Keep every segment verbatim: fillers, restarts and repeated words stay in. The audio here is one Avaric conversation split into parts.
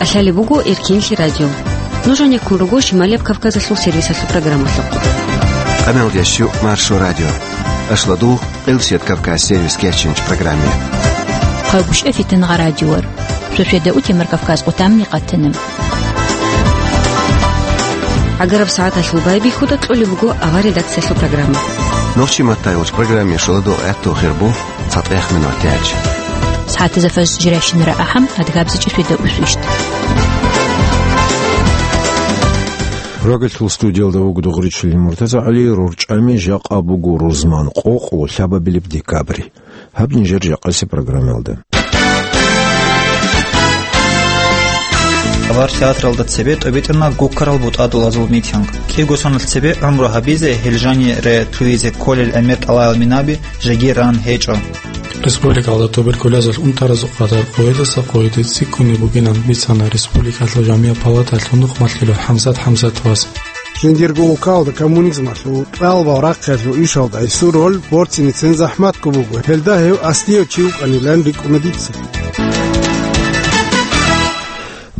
ТӀалъалеб буго Эркенлъи радио. Нуж гьанеккун руго Шималияб Кавказалъул сервисалъул программалъухъ. Къаналдящу Маршо радио. Ашладул Къилсият Кавказ сервис кечинч программе. Хъагушев Фитнагъа радиор. Суседа утемар Кавказ къутамни къатана. ГӀагараб сагӀаталъул байбихьуда кьолеб буго авар редакциялъул программа. Нохчи маттайулч программе шоладо гӀатту хирбу цатӀех минут тяч. СагӀатазда фаз жиращинара ахӀам, адгабзичӀи суседа усвищт. Рогелъул студиялда вуго Дугъричилин МуртазагӀали, рорчӀами жакъа буго рузман къокъо лъабабилеб декабрь. Гьаб нижер жакъасеб программаялда. Авар театралда цебе тӀобитӀана гуккарал бутӀа-дулазул митинг. КӀиго соналъ цебе гӀумру гьабизе, гьел жанире лъугьизе кколел гӀемер тӀалаял минаби жеги ран гьечӀо. Республикалда туберкулезалъ унтаразул къадар къоялдаса къоялде цӀикӀкӀунеб бугинан бицана республикалъул жамигӀат палаталъул нухмалъулев ХӀамзат ХӀамзатовас. Жиндирго улкалда коммунизмалъул кьалбал рахъиялъул ишалда гьесул роль борцине цин захӀматго буго. Гьелда гьев аслияв чи вукӀанилан рикӀкӀуна дица.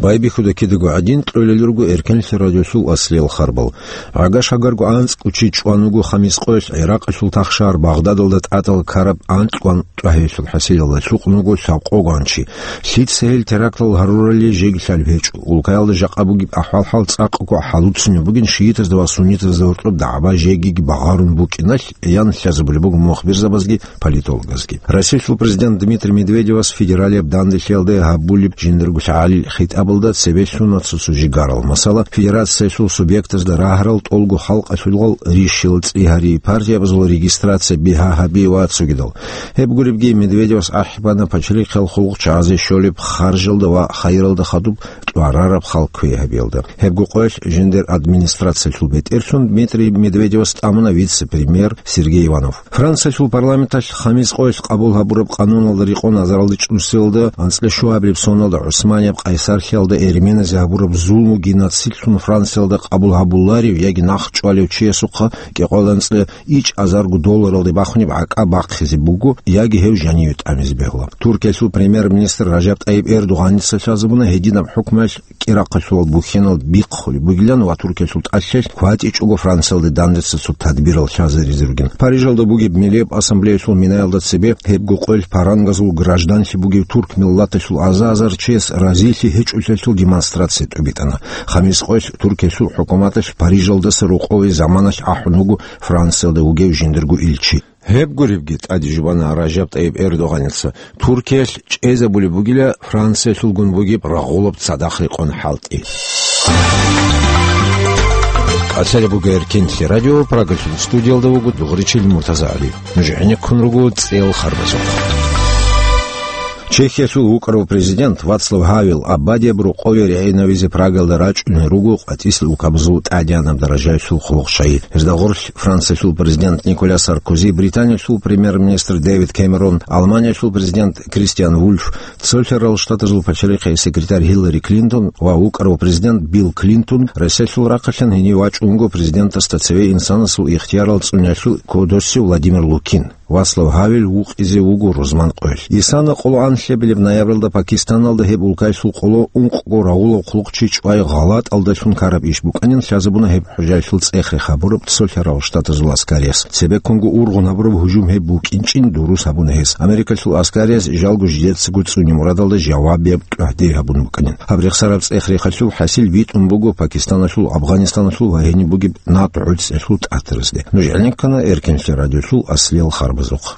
Байбихьуда кидаго гӀадин, кьолел руго Эркенлъи радиолъул аслиял харбал. ГӀагар-шагарго анцӀго чи чӀван вуго Хамис къоялъ ГӀиракъалъул тахшагьар Багъдадалда тӀатӀал ккараб анкьго анкьго гьелъул хӀасилалда, лъукъун вуго лъабкъого чи. Лъица гьел терактал гьарурали жеги лъалеб гьечӀо. Улкаялда жакъа бугеб ахӀвал-хӀал цӀакъго хӀалуцунеб бугин, шиитазда ва суннитазда гьоркьоб дагӀба жегиги багъарун букӀиналъ, аян лъазабулеб буго мухбирзабазги политологазги. Россиялъул президент Дмитрий Медведевас федералияб данделъиялда гьабулеб жиндирго лъагӀалил хитӀабалда цебе лъуна цо-цо жигарал. Масала, федерациялъул субъектазда рагьарал, тӀолго халкъалъулгъал рищилал цӀи гьари, партиябазул регистрация бигьа гьаби ва цогидал. Гьеб гуребги, Медведевас ахӀи бана пачалихъал хъулухъ чагӀазе щолеб харжалда ва хайиралда хадуб тӀварараб хал кквей гьабиялда. Гьебго къоялъ жиндир администрациялъул бетӀерлъун Дмитрий Медведевас тӀамуна вице-премьер Сергей Иванов. Франциялъул парламенталъ Хамис къоялъ къабул гьабураб къануналда рекъон азаралда чӀусиялда анцӀила щуабилеб соналда ГӀусманияб къайсарлъиялда эрменазе гьабураб зулму геноцидлъун Франциялда къабул гьабуларев яги нахъ чӀвалев чиясухъа кӀикъоялда анцӀила ичӀ азарго долларалде бахунеб гӀакӀа бахъизе буго яги гьев жаниве тӀамизе бегьула. Туркиялъул премьер-министр Ражаб ТӀайиб Эрдогъаница лъазабуна гьединаб хӀукмуялъ кӀирахъалъулал бухьенал бихъулеб бугилан ва Туркиялъул тӀалъалъ кватӀичӀого Франциялда дандеца цо тадбирал лъазаризе ругин. Парижалда бугеб Миллияб ассамблеялъул минаялда цебе гьебго къоялъ парангазул гражданлъи бугев турк миллаталъул аза-азар чияс разилъи гьечӀолъиялъул демонстрация тӀубитӀана. Хамис къоялъ Туркиялъул хӀукуматалъ Парижалдаса рокъове заманалъ ахӀун вуго Франциялда вугев жиндирго илчи. Гьеб гуребги, тӀаде жубана Ражаб ТӀайиб Эрдогъаница, Туркиялъ чӀезабулеб бугила Франциялъулгун бугеб рагъулаб цадахъ рекъон хӀалтӀи. Къацалеб буго Эркенлъи радио, Прагалъул студиялда вуго Дугъричил МуртазагӀали. Нуж гӀенеккун руго цӀел харбазухъ. Чехиялъул вукӀарав президент Вацлав Гавел абадияб рокъове регӀинавизе Прагалда рачӀунел руго къватӀислъи улкабазул тӀадегӀанаб даражаялъул хъулухъчагӀи. Гьезда гъорлъ Франциялъул президент Николя Саркози, Британиялъул премьер-министр Дэвид Кэмерон, Алманиялъул президент Кристиан Вульф, Цолъарал Штатазул пачалихъе секретарь Гьиллари Клинтон ва вукӀарав президент Билл Клинтон Россиялъул рахъалъан гьенив вачӀун вуго президентасда цеве инсанасул ихтиярал цӀуниялъул кодосе Владимир Лукин. Вацлав Гавел вукъизе вуго рузман къоялъ. Исана къоло анлъабилеб ноябралда Пакистаналда гьеб улкаялъул къоло ункъго рагъулаб хъулухъчи чӀвай гъалатӀалдалъун ккараб иш букӀанин лъазабуна гьеб хӀужаялъул цӀех-рех гьабураб Цолъарал Штатазул аскарияс. Цебеккунго ургъун гьабураб гьужум гьеб букӀинчӀин дурус гьабуна гьес. Америкалъул аскарияс жалго жидецаго цӀуне мурадалда жавабияб тӀагьдир гьабун букӀанин. Гьаб рехсараб цӀех-рехалъул хӀасил битӀун буго Пакистаналъул, Афганистаналъул ва гьениб бугеб НАТО гӀуцӀиялъул тӀатаразде. Нуж гӀенеккана Эркенлъи радиолъул аслиял харбазухъ.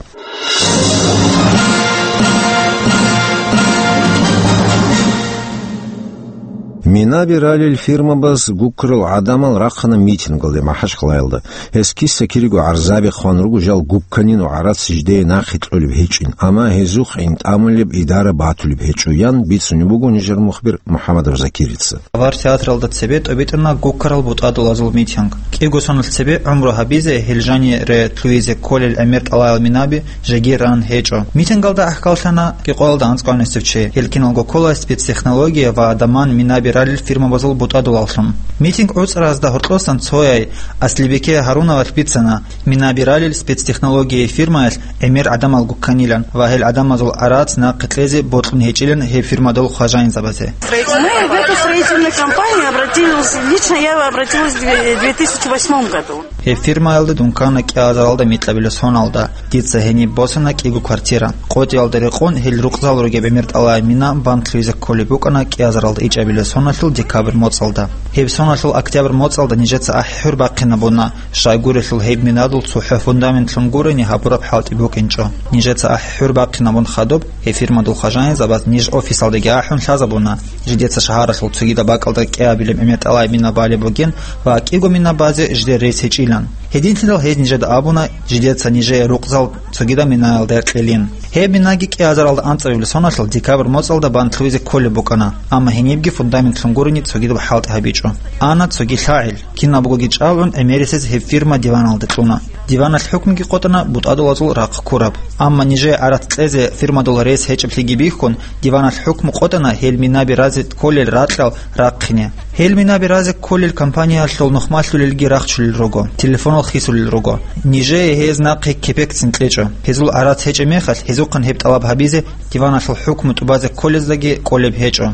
Минаби ралел фирмабаз гуккарал гӀадамал рахъана митингалде МахӀачхъалаялда. Гьес киса-кириго гӀарзаби хъван руго жал гукканин ва гӀарац жидее нахъе кьолеб гьечӀин, амма гьезухъ гӀинтӀамулеб идара батулеб гьечӀо, ян бицунеб буго нижер мухбир МухӀаммадов Закирица. Авар театралда цебе тӀобитӀана гуккарал бутӀа-дулазул митинг. КӀиго соналъ цебе гӀумру гьабизе, гьел жанире лъугьизе кколел гӀемер тӀалаял минаби жеги ран гьечӀо. Митингалда гӀахьаллъана кӀикъоялда анцӀго гӀанасев чи. Гьел киналго ккола спецтехнология ва даман минаби ралел фирмабазул бутӀадулаллъун. Митинг гӀуцӀаразда гьоркьосан цояй Аслибеке Гьарунавалъ бицана, минаби ралел спецтехнологияй фирмаялъ гӀемер гӀадамал гукканилан ва гьел гӀадамазул гӀарац нахъе кьезе бокьун гьечӀилан гьеб фирмадул хважаинзабазе. Мы в эту строительную компанию обратились, лично я обратилась в две тысячи восьмом году. Гьеб фирмаялда дун ккана кӀиазаралда микьабилеб соналда. Дица гьениб босана кӀиго квартира. КъотӀиялда рекъон гьел рукъзал ругеб гӀемер тӀалай мина бантлъуйзе кколеб букӀана кӀиазаралда ичӀабилеб соналъул декабрь моцӀалда. Гьеб соналъул октябрь моцӀалда нижеца ахӀи-хӀур бахъинабуна, щайгурелъул гьеб минадул цохӀо фундаментлъун гурони гьабураб хӀалтӀи букӀинчӀо. Нижеца ахӀи-хӀур бахъинабун хадуб, гьеб фирмадул хважаинзабаз ниж офисалдаги ахӀун лъазабуна, жидеца шагьаралъул цогидаб бакӀалда кӀиабилеб гӀемер тӀалай мина балеб бугин ва кӀиго мина базе жидер рес гьечӀилан. Гьединлъидал гьез нижеда абуна, жидеца нижее рукъзал цогидаб минаялда кьелин. Гьеб минаги кӀиазаралда анцӀабилеб соналъул декабрь моцӀалда бантлъуйзе кколеб букӀана, амма гьенибги фундаментлъун гурони цогидаб хӀалтӀи гьабичӀо. Ана цоги лъагӀел. Кинабгоги чӀалгӀун гӀемерисез гьеб фирма диваналде кьуна. Диваналъ хӀукмуги къотӀана бутӀадулазул рахъ ккураб. Амма нижее гӀарац кьезе фирмадул рес гьечӀеблъиги бихьун, диваналъ хӀукму къотӀана гьел минаби разе кколел ракьал рахъине. Гьел минаби разе кколел компаниялъул нухмалъулелги рахчулел руго, телефонал хисулел руго. Нижее гьез нахъе кепекцин кьечӀо. Гьезул гӀарац гьечӀеб мехалъ, гьезухъан гьеб тӀалаб гьабизе диваналъул хӀукму тӀубазе кколездаги кӀолеб гьечӀо.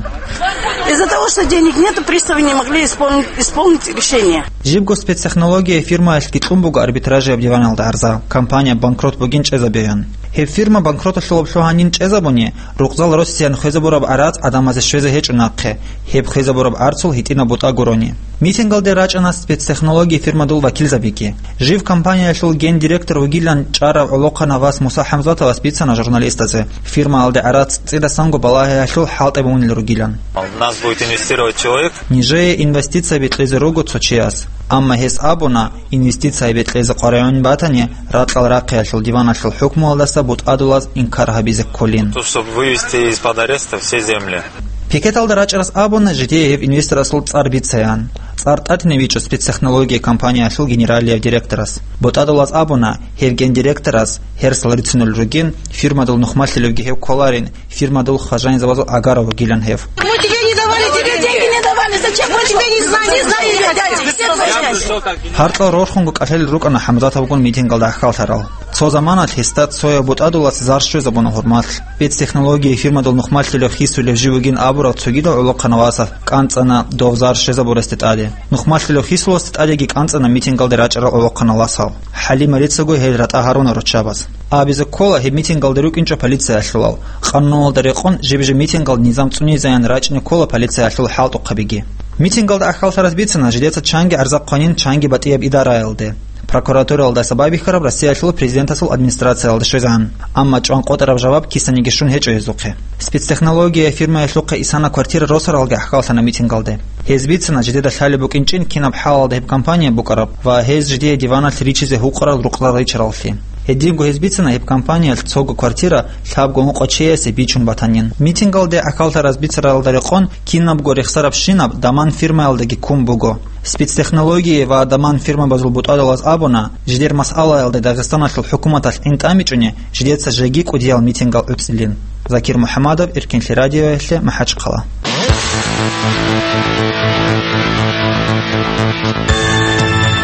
Из-за того, что денег нету, приставы не могли исполнить, исполнить решение. Жибго спецтехнология фирмаялъги кьун буго арбитражияб диваналда гӀарза, компания банкрот бугин чӀезабеян. Гьеб фирма банкроталъулаблъун гьанин чӀезабуни, рукъзал россиян хвезабураб гӀарац гӀадамазе щвезе гьечӀо нахъе, гьеб хвезабураб гӀарцул гьитӀинаб бутӀа гурони. Митингалде рачӀана спецтехнология фирмадул вакилзабиги. Жив компаниялъул гендиректор вугилан чӀарав гӀолохъанав вас Муса ХӀамзатовас бицана журналистазе, фирмаялде гӀарац цӀидасанго балагьиялъул хӀалтӀи бунил ругилан. У нас будет инвестировать человек. Нижее инвестицияби кьезе руго цо чияс, амма гьес абуна, инвестицияби кьезе къваригӀун батани, ракьал рахъиялъул диваналъул хӀукмуялдаса бутӀадулаз инкар гьабизе кколин. То, чтобы вывести из-под ареста все земли. Пикеталда рачӀарас абуна, жидее гьеб инвесторасул цӀар бицаян. ЦӀар тӀатинаб гьечӀо спецтехнология компаниялъул генералияв директорас. БутӀадулаз абуна, гьеб гендиректорас гьерсал рицунел ругин, фирмадул нухмалъулевги гьев кколарин, фирмадул хважаинзабазул агара вугилан гьев. Мы тебе не давали, тебе деньги не давали, зачем мы тебе не знаем, не знаем, не хотим, все твои связи. Гьаркьал рорхунго кӀалъалел рукӀана ХӀамзатовгун митингалда ахьаллъарал. Цо заманалъ гьесда цояв бутӀадулас зар щвезабуна гьурмалъ. Спецтехнология фирмадул нухмалъулев хисулев жив вугин абурав цогидав гӀолохъанав васас кӀанцӀана дов зар щвезабурасде тӀаде. Нухмалъулев хисуласде тӀадеги кӀанцӀана митингалде рачӀарал гӀолохъанал васал. ХӀалимарицаго гьел ратӀа гьаруна руччабаз. Абизе ккола гьеб митингалде рукӀинчӀо полициялъулал. Къануналда рекъон жиб-жиб митингал низам цӀунизаян рачӀине ккола полициялъул хӀалтӀухъабиги. Митингалда ахьаллъарас бицана жидеца чанги гӀарза хъванин чанги батӀияб идараялде. Прокуратуралдаса байбихьараб Россиялъул президентасул администрациялда щвезан, амма чӀван къотӀараб жаваб кисаниги щун гьечӀо гьезухъе. Спецтехнология фирмаялъухъе исана квартира росаралги ахьаллъана митингалде. Гьез бицана жидеда лъалеб букӀинчӀин кинаб хӀалалда гьеб компания букӀараб ва гьез жидее диваналъ ричизе гьукъарал рукъзал ричараллъи. Гьединго гьез бицана гьеб компаниялъ цого квартира лъабго ункъо чиясе бичун батанин. Митингалде ахьаллъарас бицаралда рекъон кинабго рехсарабщинаб даман фирмаялдаги ккун буго. Спецтехнология ва даман фирмабазул бутӀадулаз абуна, жидер масъалаялда Дагъистаналъул хӀукуматалъ гӀин тӀамичӀони, жидеца жеги кӀудиял митингал гӀуцӀилин. Закир МухӀамадов, Эркенлъи радиоялъе, МахӀачхъала.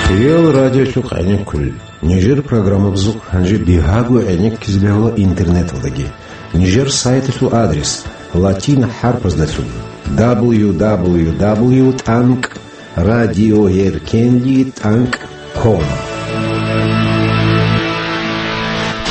Хиял радиолъухъ гӀенеккулел. Нижер программабазухъ гьанже бигьаго гӀенеккизе бегьула интернеталдаги. Нижер сайталъул адрес латин хӀарпаздалъун: дабл ю дабл ю дабл ю тӀанкӀ радиоэркенли тӀанкӀ ком.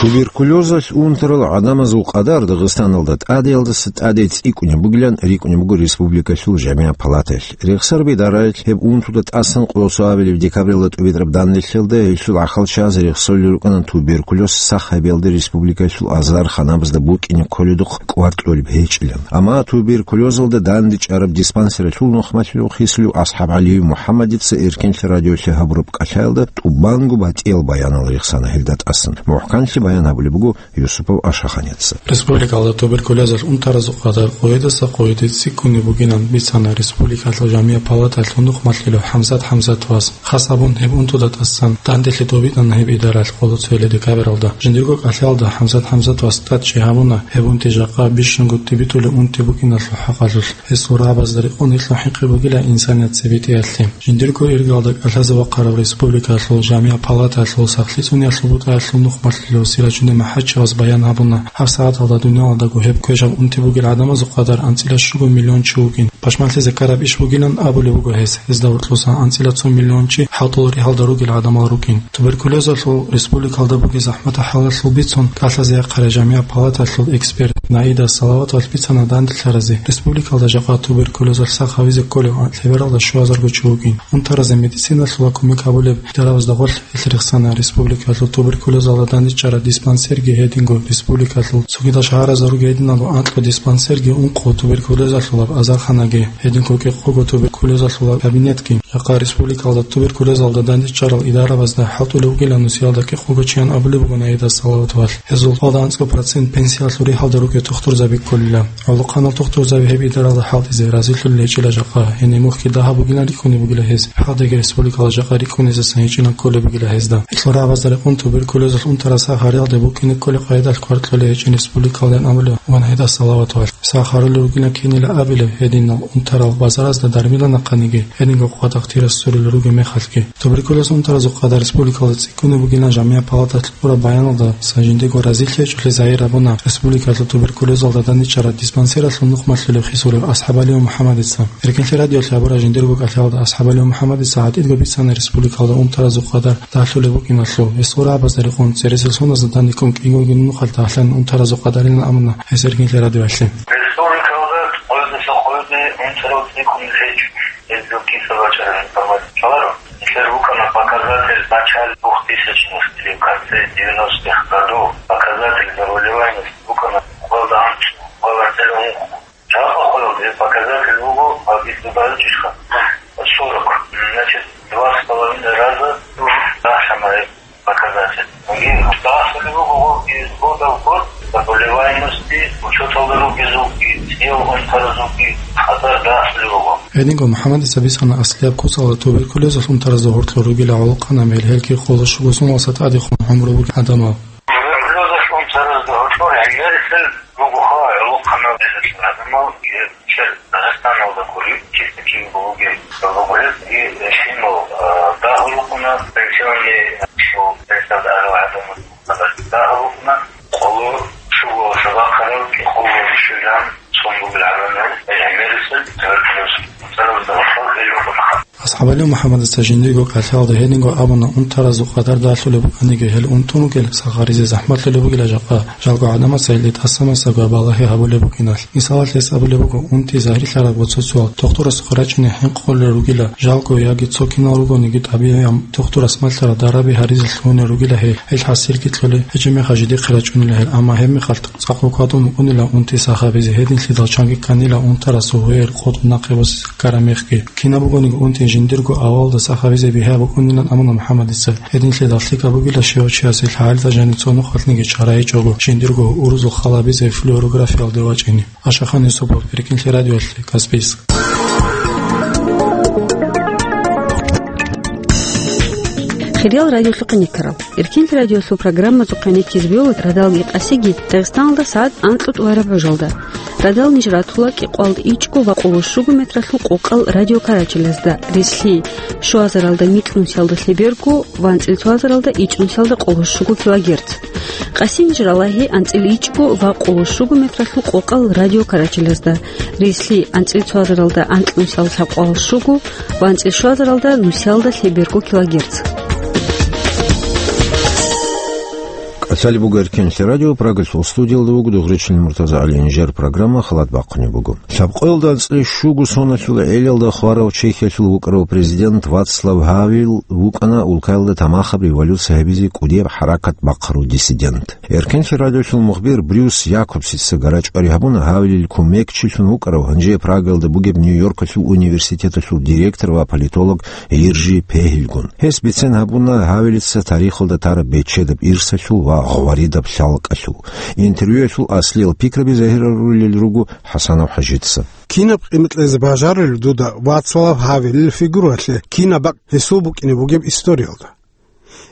Туберкулезалъ унтарал гӀадамазул къадар Дагъистаналда тӀадеялдаса тӀаде цӀикӀкӀунеб бугилан рикӀкӀунеб буго республикалъул жамигӀат палатаялъ. Рехсараб идараялъ гьеб унтуда тӀасан къолосо абилеб декабралда тӀубитӀараб данделъиялда гьелъул ахал чияз рехсолел рукӀана туберкулез сах гьабиялда республикалъул азар ханабазда букӀине кколедухъ кӀвар кьолеб гьечӀилан. Амма туберкулезалда дандечӀараб диспансералъул нухмалъулев хисулев АсхӀабгӀалиев МухӀаммадица Эркенлъи радиолъе гьабураб кӀалъаялда тӀубанго батӀиял баянал рехсана гьелда тӀасан. МухӀканлъи баян гьабулеб буго Юсупов Ашаханица. Республикалда туберкулезалъ унтаразул къадар къоядаса къояде цӀикӀкӀунеб бугилан бицана республикалъул жамигӀ палаталъул нухмалъулев ХӀамзат ХӀамзатовас. Хас абун, гьеб унтуда тӀасан данделъи тӀубитӀана гьеб идаралъ къоло цоялъ декабралда. Жиндирго кӀалъалда ХӀамзат ХӀамзатовас тӀад чи гьабуна гьеб унти жакъа бищунго тӀибитӀулеб унти букӀиналъул хӀакъалъулъ. Гьесул рагӀабазда рекъон гьелъул хӀинкъи бугила инсаният цебетӀиялъе. Жиндирго иргалда кӀалъазе вахъараб республикалъул жамигӀ палаталъул сахлъи цӀуниялъул бутӀаялъул нухмалъулев Сираджудин МахӀачевас баян гьабуна, гьаб сагӀаталда дуниялалдаго гьеб квешаб унти бугел гӀадамазул къадар анцӀила щуго миллион чи вукӀин. Пашманлъи Закараб иш бугилан абулеб буго гьес. Гьезда гьоркьоса анцӀила цо миллион чи хӀалтӀул ригьалда ругел гӀадамал рукӀин. Туберкулезалъул республикалда бугеб захӀматал хӀалалъул бицун кӀалъазе яхъарай жамигӀ палаталъул эксперт Наида Салаватовалъ бицана данделъаразе. Республикалда жакъа туберкулезалъ сах гьавизе кколев лъебералда щуазарго чи вукӀин. Унтаразе медициналъула кумек гьабулеб дарабазда гъорлъ гьелъ рехсана республикалъул туберкулезалда дандечӀараб диспансерги, гьединго республикалъул цогидал шагьаразда ругел гьединал анкьго диспансерги, ункъго туберкулезалъулаб азарханаги, гьединго кӀикъого туберкулезалъулаб кабинетги. Жакъа республикалда туберкулезалда дандечӀарал идарабазда хӀалтӀулев вугилан нусиялда кӀикъого чиян абулеб буго Наида Салаватовалъ. Гьезул цӀакъ анцӀго процент пенсиялъул ригьалда ругел тухтурзаби кколила. ГӀолохъанал тухтурзаби гьеб идаралда хӀалтӀизе разилъулел гьечӀила жакъа. Гьениб мухьги дагьаб бугилан рикӀкӀунеб бугила гьез. Гьадинги республикалда жакъа рикӀкӀунезасан гьечӀинаб кколеб бугила гьезда. Гьелъул рагӀабазда рекъон туберкулезалъ унтарал сах гьарилде букӀине кколеб къайдалъ кваркьулел гьечӀин республикалдайин абулеб буго Наида Салаватовалъ. Сах гьарулел ругилан кинила абилеб гьединал унтарал базаразда дармила нахъаниги, гьединго къватӀахъ тирас сурулел ругеб мехалъги. Туберкулез унтаразул къадар республикалда цӀикӀкӀунеб бугилан жамигӀ палаталъ кьураб баяналдаса жиндирго разилъи гьечӀолъи загьир гьабуна республикалъул туберкулезалда дандечӀараб диспансералъул нухмалъулев Хисуров АсхӀабалиев МухӀаммадица. Эркенлъи радиолъ гьабураб жиндирго кӀалъалда АсхӀабалиев МухӀаммадица гӀатӀидго бицана республикалда унтаразул къадар дагьлъулеб букӀиналъул. Гьесул рагӀабазда рекъон цересел соназда данде кӀун кӀиго нухалъ дагьлъан унтаразул къадарилан абуна гьес Эркенлъи радиоялъе. Республикалда къоядаса къояде унтарал цӀикӀкӀун гьечӀо. Гьезул киса бачӀараб информация лъаларо. Нилъер букӀана показатель в начале двухтысячных или в конце девяностых годов. Показатель заболеваемости букӀана къоялда анцӀго, къоялда цӀерагӀунхъ. Жакъа къоялда гьеб показатель буго, гьаб итӀубаричӀищха, сорок. Значит, два с половиной раза дагьлъана гьеб показатель. Гьанже дагьлъулеб буго из года в год заболеваемости, учёталда ругезулги, цӀиялда унтаразулги къадар дагьлъулеб буго. Гьединго МухӀаммадица бицана аслияб куцалда туберкулезалъ унтаразда гьоркьор ругила гӀолохъанаб мел, гьелги къоло щуго соналдаса тӀадехун гӀумру бугел гӀадамал. Туберкулезалъ унтаразда гьоркьор гӀемерисел ругоха гӀолохъанаб мел гӀадамал, гьеб чер Дагъистаналда гури, чисто кин бугеб буго гьеб, и щинал, а, дагьлукъуна, пенсионный, шо, пенсиялда арал гӀадамал дагьлукъуна, къоло щуго сабахъарал, къоло щуян сон бугел гӀадамал, гӀемерисел туберкулез. АсхӀабалиев МухӀаммадица жиндирго кӀалъалда гьединго абуна, унтаразул къадар дагьлъулеб букӀаниги, гьел унтун ругел сах гьаризе захӀмалъулеб бугила жакъа, жалго гӀадамаца гьелде тӀасамасаго балагьи гьабулеб букӀиналъ. Мисалалъ, гьес абулеб буго, унти загьирлъараб цо-цоял тухтурасухъе рачӀине хӀинкъулел ругила, жалго яги цо кинал ругониги тӀабигӀияб тухтурас малъараб дараби гьаризе лъугьунел ругила гьел, гьел хӀасилги кьолел, гьечӀеб мехалъ жидехъе рачӀунила гьел, амма гьеб мехалъ цӀакъго кӀватӀун букӀунила унти сах гьабизе, гьединлъидал чанги кканила унтарасул гьуер къотӀун нахъе босизе ккараб мехги. Кина бугониги унти жиндирго авалалда сах гьабизе бигьа букӀунилан абуна МухӀаммадица. Гьединлъидал лъикӀаб бугила щивав чиясе лъагӀалида жанив цо нухалъниги чара гьечӀого, жиндирго урузул хал гьабизе флюорографиялде вачӀине. Ашахан Юсупов, Эркинлъи радиоялъе, Каспийск. Хириял радиолъухъе никарал. Эркинлъи радиоялъул программазухъе никизе бегьула радалги къасиги Дагъистаналда сагӀат анкьго тӀураб гӀужалда. Радал ниж ратула кӀикъоялда ичӀго ва къоло щуго метралъул къокъал радиокарачелазда, релълъи щуазаралда микьнусиялда лъеберго ва анцӀила цоазаралда ичӀнусиялда къоло щуго килогерц. Къасин ниж ралагьи анцӀила ичӀго ва къоло щуго метралъул къокъал радиокарачелазда, релълъи анцӀила цоазаралда анкьнусиялда лъабкъоялда щуго ва анцӀила щуазаралда нусиялда лъеберго килогерц. КӀалъалеб буго Эркинлъи радио, Прагалъул студиялда вуго Дугъричилин МуртазагӀалиев. Нижер программа халат бахъунеб буго. Лъабкъоялда анцӀила щуго соналъул гӀелалда хварав Чехиялъул вукӀарав президент Вацлав Гьавел вукӀана улкаялда тамахаб революция гьабизе кӀудияб хӀаракат бахъарав диссидент. Эркинлъи радиолъул мухбир Брюс Якобсица гарачӀвари гьабуна Гьавелил кумекчилъун вукӀарав, гьанже Прагалда бугеб Нью-Йоркалъул университеталъул директор ва политолог Иржи Пегьилгун. Гьес бицен гьабуна Гьавелица тарихалда тараб бечедаб ирсалъул ва гъваридаб лъалкӀалъув. Интервьюялъул аслиял пикраби загьирарулел руго ХӀасанов ХӀажица. Кинаб къимат кьезе бажарулеб дуда Вацлав Гьавелил фигуралъе, кинаб бакӀ гьесул букӀине бугеб историялда?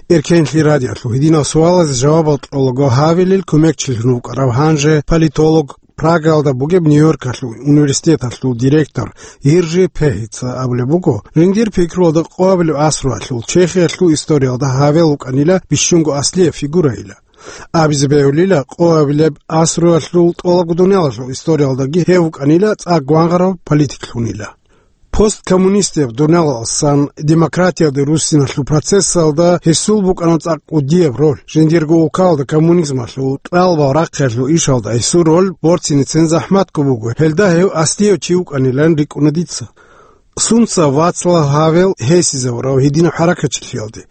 Эркенлъи радиоялъул гьединал суалазе жавабал кьолаго Гьавелил кумекчилъун вукӀарав, гьанже политолог, Прагаялда бугеб Нью-Йоркалъул университеталъул директор Йиржи Пегьица абулеб буго, жиндир пикруялда къоабилеб асруялъул Чехиялъул историялда Гьавел вукӀанила бищунго аслияб фигурайила. Абизе бегьулила, къоабилеб асруялъул тӀолабго дуниялалъул историялдаги гьев вукӀанила цӀакъ гвангъарав политиклъунила. Посткоммунистияб дуниялалсан демократиялде руссиналъул процессалда гьесул букӀана цӀакъ кӀудияб роль. Жиндирго улкалда коммунизмалъул кьалбал рахъиялъул ишалда гьесул роль борцине цин захӀматго буго, гьелда гьев аслияв чи вукӀанилан рикӀкӀуна дица. Сунца Вацлав Гьавел гьесизавурав гьединаб хӀаракатчилъиялде?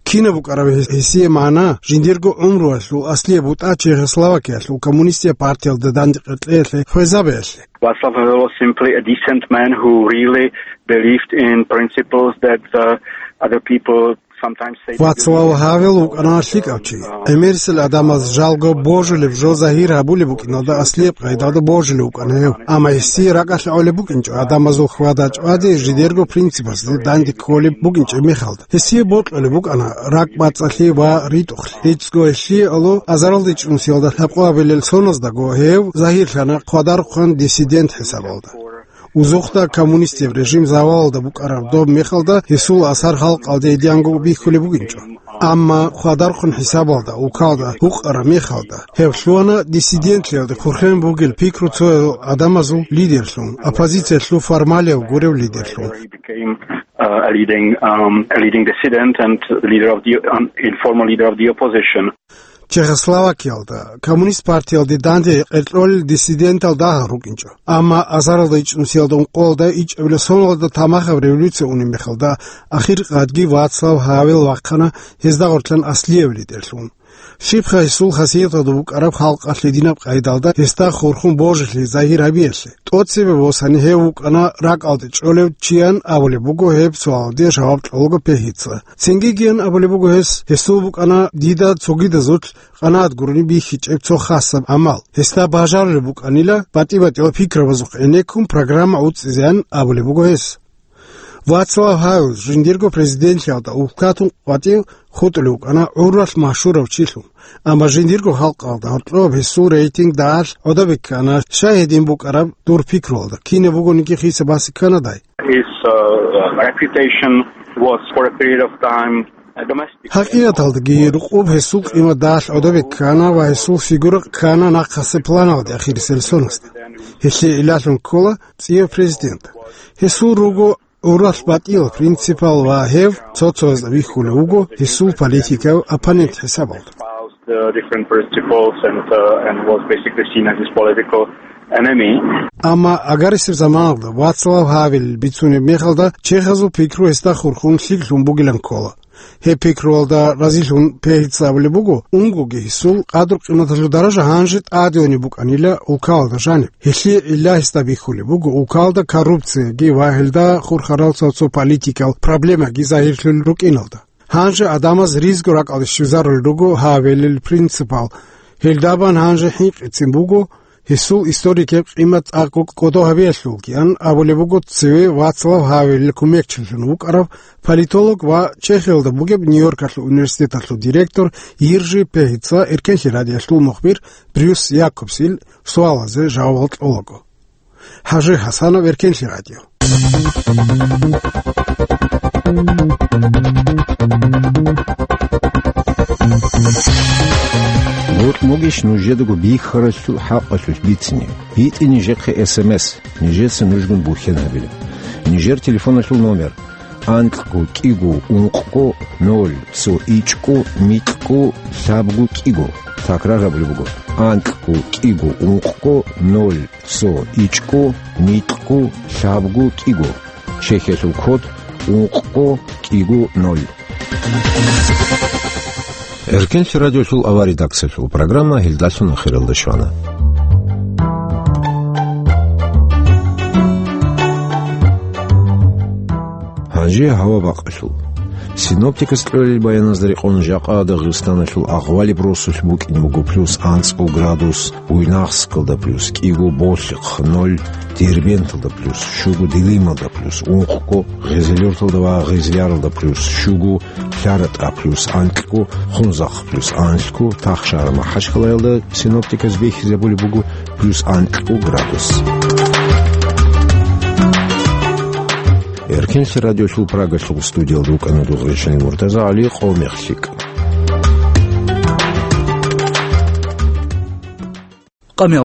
Кинаб букӀараб гьес-, гьесие магӀна, жиндирго гӀумруялъул аслияб бутӀа Чехословакиялъул коммунистияб партиялда дандекъе кьеялъе, хвезабиялъе? Václav Havel was simply a decent man who really believed in principles that the other people sometimes say they Вацлав believe in. Гьавел вукӀана лъикӀав чи. ГӀемерисел гӀадамаз жалго божулеб жо загьир гьабулеб букӀиналда аслияб къайдалда божулев вукӀана гьев. Амма гьесие ракӀалъ гӀолеб букӀинчӀо, гӀадамазул хьвада-чӀвади жидерго принципасде данде кколеб букӀинчӀеб мехалда. Гьесие бокьулеб букӀана ракӀбацӀцӀалъи ва ритӀухълъи. ГӀицӀго гьелъие гӀоло азаралда ичӀнусиялда лъабкъоабилел соназдаго гьев загьирлъана хъвадарухъан диссидент хӀисабалда. Узухъда коммунистияб режим завалалда букӀараб доб мехалда гьесул асар халкъалде идеанго бихьулеб бугинчӀо. Амма хъвадарухъан хӀисабалда, улкалда гьукъараб мехалда, гьев лъугьана диссидентлъиялде хурхен бугел пикру цоял гӀадамазул лидерлъун, оппозициялъул формалияв гурев лидерлъун. He became, uh, a leading, um, a leading dissident and leader of the, um, informal leader of the opposition. Чехословакиялда коммунист партиялде данде къеркьолел диссидентал дагьал рукӀинчӀо. Амма азаралда ичӀнусиялда ункъоялда ичӀабилеб соналда тамахаб революция унеб мехалда, ахиркъадги Вацлав Гьавел вахъана гьезда гъорлъан аслияб лидерлъун. Щибха гьесул хасияталда букӀараб халкъалъ гьединаб къайдалда гьесда хурхун божилъи загьир гьабиялъе? ТӀоцебе босани гьев вукӀана ракӀалде чӀолев чиян абулеб буго гьеб суалалде жаваб кьолаго Пегьица. Цинги гиян абулеб буго гьес, гьесул букӀана дида цогидазулъ къанагӀат гурони бихьичӀеб цо хасаб гӀамал. Гьесда бажарулеб букӀанила батӀи-батӀиял пикрабазухъ гӀенеккун программа гӀуцӀизеян абулеб буго гьес. Вацлав Гьавел жиндирго президентлъиялда улкатун къватӀив хутӀулев вукӀана гӀуралъ машгьурав чилъун. Амма жиндирго халкъалда гьоркьоб гьесул рейтинг дагьалъ гӀодобе ккана, щай гьедин букӀараб дур пикруялда, кинаб бугониги хиса баси кканадай. His, uh, reputation was for a period of time, uh, domestic. ХӀакъикъаталдаги рукъуб гьесул къимат дагьалъ гӀодобе ккана ва гьесул фигура ккана нахъасе планалде ахирисел сонасда. Гьелъие илагьун ккола цӀияб президент. Гьесул руго гӀуралъ батӀиял принципал ва гьев цо-цоясда вихьулев вуго гьесул политикав оппонент хӀисабалда. Espoused, uh, different principles and, uh, and was basically seen as his political enemy. Амма агарисеб заманалда Вацлав Гьавелил бицунеб мехалда чехазул пикру гьесда хурхун лъикӀлъун бугилан ккола. Гьеб пикруялда разилъун Пегьица абулеб буго, унгоги гьесул къадру-къиматалъул даража гьанже тӀадегӀаниб букӀанила улкалалда жаниб. Гьелъие гӀилла гьесда бихьулеб буго улкалда коррупцияги ва гьелда хурхарал цо-цо политикал проблемаги загьирлъулел рукӀиналда. Гьанже гӀадамаз ризго ракӀалде щвезарулел руго Гьавелил принципал. Гьелдабан гьанже хӀинкъицин буго, гьесул историкеб къимат цӀакъго кӀодо гьабиялъулгиян абулеб буго цеве Вацлав Гьавелил кумекчилъун вукӀарав политолог ва Чехиялда бугеб Нью-Йоркалъул университеталъул директор Йиржи Пегьица, Эркенлъи радиоялъул мухбир Брюс Якобсил суалазе жавабал кьолаго. ХӀажи ХӀасанов, Эркенлъи радио. Гъоркь могищ нужедаго бихьаралъул хӀакъалъулъ бицине? ГьитӀе нижехъе эс эм эс, нижеца нужгун бухьен гьабила. Нижер телефоналъул номер: анкьго кӀиго ункъго ноль цо ичӀго микьго лъабго кӀиго. Такрар гьабулеб буго: анкьго кӀиго ункъго ноль цо ичӀго микьго лъабго кӀиго. Чехиялъул код: ункъго кӀиго ноль. Эркенлъи радиолъул авар редакциялъул программа гьелдалъун ахиралда щвана. Гьанже гьава бакъалъул. Синоптикас кьолел баяназда рекъон, жакъа Дагъистаналъул агъвалиб росулъ букӀин буго плюс анцӀго градус, Буйнакскалда плюс кӀиго, Болъихъ ноль, Дербенталда плюс щуго, Дилималда плюс ункъго, Гъезелюрталда ва Гъезляралда плюс щуго, ЛъаратӀа плюс анкьго, Хунзахъ плюс анлъго, Тахшагьар, Махачкалаялда синоптиказ бихьизабулеб буго плюс анкьго градус. Эркинлъи радиолъул Прагалъул студиялда вукӀана дугъричани Муртаза ГӀали, къо мехлъикӀ.